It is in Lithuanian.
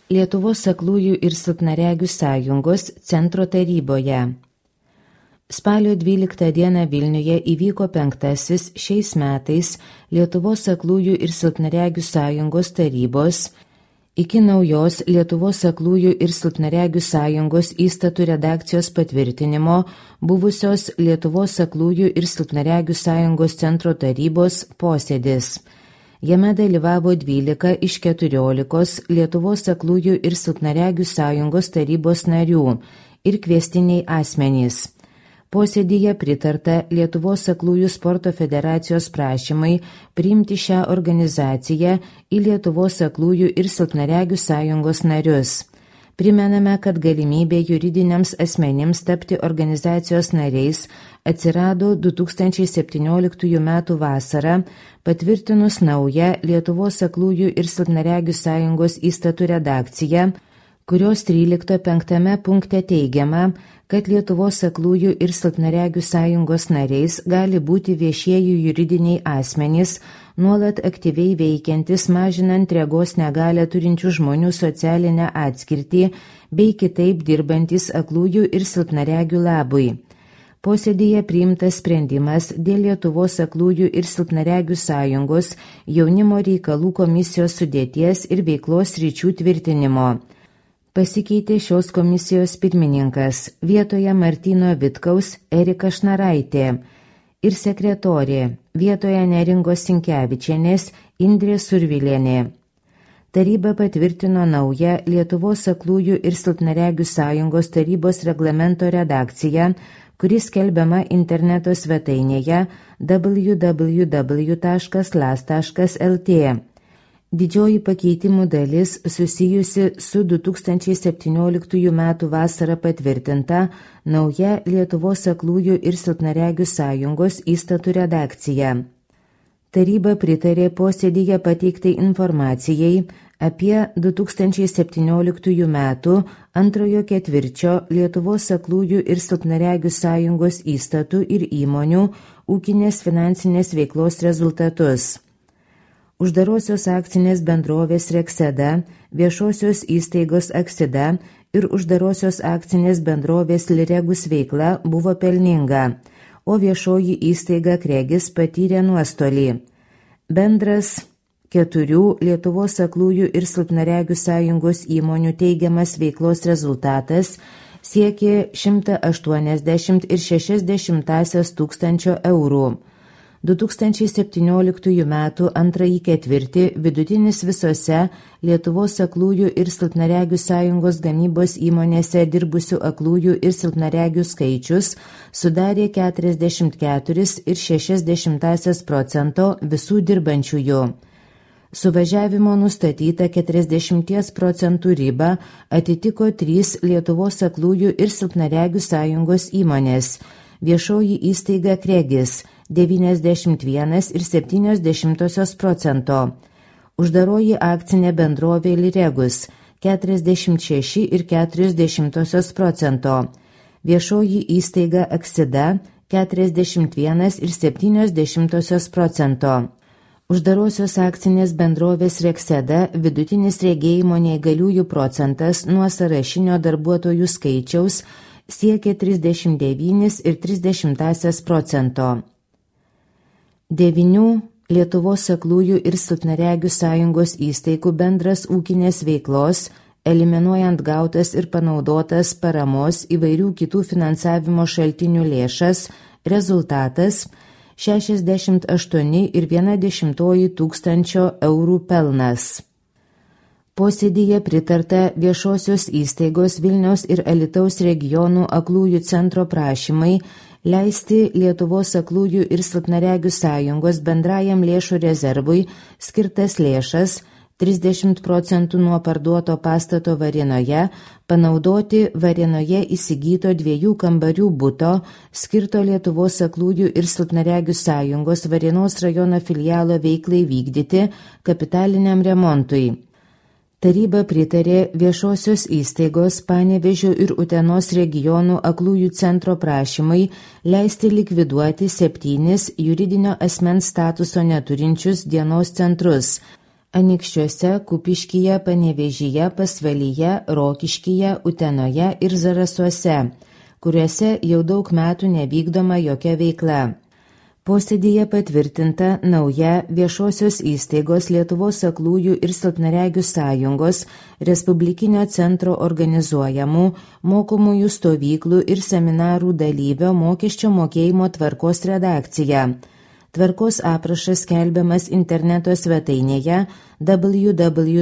Lietuvos aklųjų ir silpnaregių sąjungos centro taryboje. Spalio 12 dieną Vilniuje įvyko 5. šiais metais Lietuvos aklųjų ir silpnaregių sąjungos tarybos iki naujos Lietuvos aklųjų ir silpnaregių sąjungos įstatų redakcijos patvirtinimo buvusios Lietuvos aklųjų ir silpnaregių sąjungos centro tarybos posėdis. Jame dalyvavo 12 iš 14 Lietuvos aklųjų ir silpnaregių sąjungos tarybos narių ir kviestiniai asmenys. Posėdyje pritarta Lietuvos aklųjų sporto federacijos prašymai priimti šią organizaciją į Lietuvos aklųjų ir silpnaregių sąjungos narius. Primename, kad galimybė juridiniams asmenims tapti organizacijos nariais atsirado 2017 m. vasarą, patvirtinus naują Lietuvos aklųjų ir silpnaregių sąjungos įstatų redakciją, kurios 13.5 punkte teigiama, kad Lietuvos aklųjų ir silpnaregių sąjungos nariais gali būti viešieji juridiniai asmenys, nuolat aktyviai veikiantis mažinant regos negalią turinčių žmonių socialinę atskirtį bei kitaip dirbantis aklųjų ir silpnaregių labui. Posėdyje priimtas sprendimas dėl Lietuvos aklųjų ir silpnaregių sąjungos jaunimo reikalų komisijos sudėties ir veiklos sričių tvirtinimo. Pasikeitė šios komisijos pirmininkas, vietoje Martyno Vitkaus Erika Šnaraitė ir sekretorė, vietoje Neringos Sinkevičienės Indrė Survilienė. Taryba patvirtino naują Lietuvos aklųjų ir silpnaregių sąjungos tarybos reglamento redakciją, kuris skelbiama interneto svetainėje www.las.lt. Didžioji pakeitimų dalis susijusi su 2017 m. vasarą patvirtinta nauja Lietuvos aklųjų ir silpnaregių sąjungos įstatų redakcija. Taryba pritarė posėdyje pateiktai informacijai apie 2017 m. antrojo ketvirčio Lietuvos aklųjų ir silpnaregių sąjungos įstatų ir įmonių ūkinės finansinės veiklos rezultatus. Uždarosios akcinės bendrovės Rekseda, viešosios įstaigos Aksida ir uždarosios akcinės bendrovės Liregus veikla buvo pelninga, o viešoji įstaiga Kregis patyrė nuostolį. Bendras 4 Lietuvos aklųjų ir silpnaregių sąjungos įmonių teigiamas veiklos rezultatas siekė 180,6 tūkstančio eurų. 2017 m. antrąjį ketvirtį vidutinis visose Lietuvos aklųjų ir silpnaregių sąjungos gamybos įmonėse dirbusių aklųjų ir silpnaregių skaičius sudarė 44,6% visų dirbančiųjų. Suvažiavimo nustatyta 40% riba atitiko 3 Lietuvos aklųjų ir silpnaregių sąjungos įmonės, viešoji įstaiga Kregis 91,7%, uždaroji akcinė bendrovė Liregus 46,4%, viešoji įstaiga Aksida 41,7%. Uždarosios akcinės bendrovės Rekseda vidutinis regėjimo neįgaliųjų procentas nuo sąrašinio darbuotojų skaičiaus siekė 39,3%. 9 Lietuvos aklųjų ir silpnaregių sąjungos įstaigų bendras ūkinės veiklos, eliminuojant gautas ir panaudotas paramos įvairių kitų finansavimo šaltinių lėšas, rezultatas 68,1 tūkstančio eurų pelnas. Posėdyje pritarta viešosios įstaigos Vilniaus ir Alytaus regionų aklųjų centro prašymai leisti Lietuvos aklųjų ir silpnaregių sąjungos bendrajam lėšų rezervui skirtas lėšas 30% nuo parduoto pastato Varėnoje panaudoti Varėnoje įsigyto 2 kambarių buto skirto Lietuvos aklųjų ir silpnaregių sąjungos Varėnos rajono filialo veiklai vykdyti kapitaliniam remontui. Taryba pritarė viešosios įstaigos Panevėžio ir Utenos regionų aklųjų centro prašymai leisti likviduoti 7 juridinio asmens statuso neturinčius dienos centrus Anykščiuose, Kupiškyje, Panevėžyje, Pasvalyje, Rokiškyje, Utenoje ir Zarasuose, kuriuose jau daug metų nevykdoma jokia veikla. Posėdyje patvirtinta nauja viešosios įstaigos Lietuvos aklųjų ir silpnaregių sąjungos Respublikinio centro organizuojamų mokomųjų stovyklų ir seminarų dalyvio mokesčio mokėjimo tvarkos redakcija. Tvarkos aprašas skelbiamas interneto svetainėje www.las.lt.